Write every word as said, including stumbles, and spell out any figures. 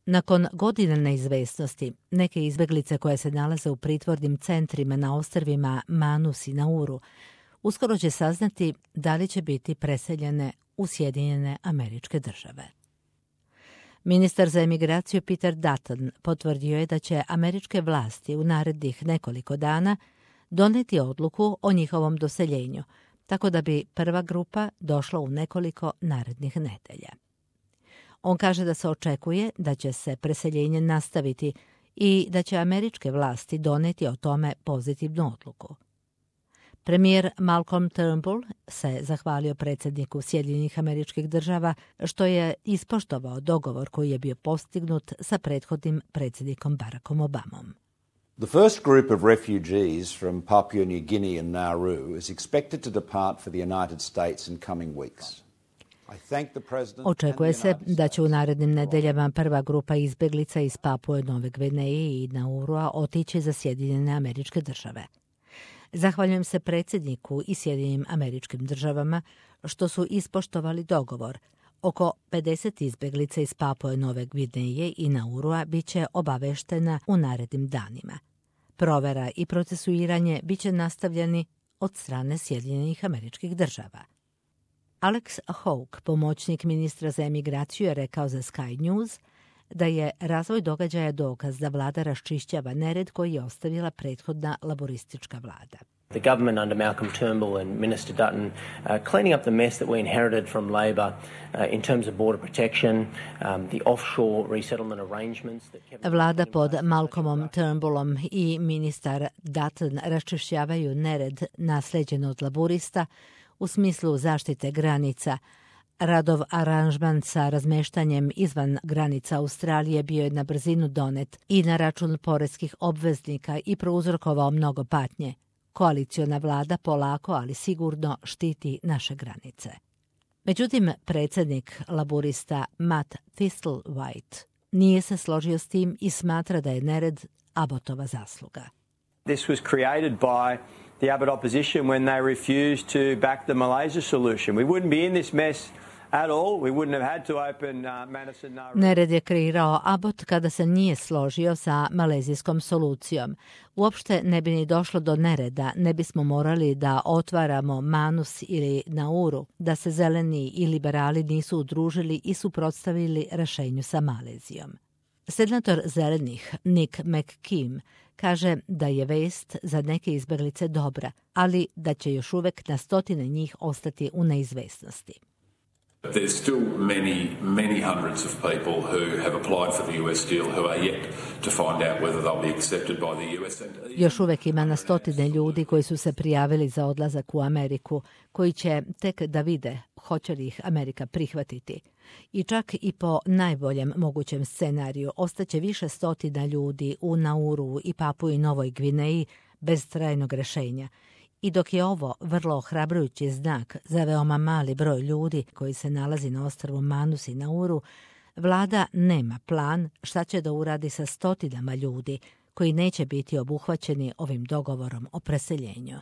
Nakon godina neizvesnosti, neke izbeglice koje se nalaze u pritvornim centrima na ostrvima Manus i Nauru uskoro će saznati da li će biti preseljene u Sjedinjene Američke Države. Ministar za emigraciju Peter Dutton potvrdio je da će američke vlasti u narednih nekoliko dana doneti odluku o njihovom doseljenju, tako da bi prva grupa došla u nekoliko narednih nedelja. On kaže da se očekuje da će se preseljenje nastaviti i da će američke vlasti doneti o tome pozitivnu odluku. Premijer Malcolm Turnbull se zahvalio predsjedniku Sjedinjenih Američkih Država što je ispoštovao dogovor koji je bio postignut sa prethodnim predsjednikom Barackom Obamom. The first group of refugees from Papua New Guinea and Nauru is expected to depart for the United States in coming weeks. Očekuje se da će u narednim nedeljama prva grupa izbjeglica iz Papue Nove Gvineje i Naurua otići za Sjedinjene Američke Države. Zahvaljujem se predsjedniku i Sjedinjenim Američkim Državama što su ispoštovali dogovor. Oko pedeset izbjeglica iz Papue Nove Gvineje i Naurua bit će obaveštena u narednim danima. Provera i procesuiranje bit će nastavljeni od strane Sjedinjenih Američkih Država. Alex Hawke, pomoćnik ministra za emigraciju, je rekao za Sky News da je razvoj događaja dokaz da vlada raščišćava nered koji je ostavila prethodna laboristička vlada. The government under Malcolm Turnbull and Minister Dutton uh, cleaning up the mess that we inherited from Labor uh, in terms of border protection, um, the offshore resettlement arrangements that kept... Vlada pod Malcolmom Turnbullom i ministar Dutton raščišćavaju nered naslijeđen od laburista u smislu zaštite granica. Radov aranžman sa razmeštanjem izvan granica Australije bio je na brzinu donet i na račun poreskih obveznika i prouzrokovao mnogo patnje. Koaliciona vlada polako, ali sigurno štiti naše granice. Međutim, predsjednik laburista Matt Thistlethwaite nije se složio s tim i smatra da je nered Abbottova zasluga. This was created by the Abbott opposition when they refused to back the Malaysia solution. We wouldn't be in this mess at all. We wouldn't have had to open uh, Madison Nauru. Nered je kreirao Abbott kada se nije složio sa malezijskom solucijom. Uopšte ne bi ni došlo do nereda, ne bismo morali da otvaramo Manus ili Nauru, da se zeleni i liberali nisu udružili i suprotstavili rešenju sa Malezijom. Senator zelenih Nick McKim kaže da je vest za neke izbjeglice dobra, ali da će još uvek na stotine njih ostati u neizvesnosti. There's still many, many hundreds of people who have applied for the U S deal who are yet to find out whether they'll be accepted by the U S. Još uvek ima na stotine ljudi koji su se prijavili za odlazak u Ameriku, koji će tek da vide hoće li ih Amerika prihvatiti. I čak i po najboljem mogućem scenariju ostaće više stotina ljudi u Nauru i Papui Novoj Gvineji bez trajnog rešenja. I dok je ovo vrlo ohrabrujući znak za veoma mali broj ljudi koji se nalazi na ostrvu Manus i Nauru, vlada nema plan šta će da uradi sa stotinama ljudi koji neće biti obuhvaćeni ovim dogovorom o preseljenju.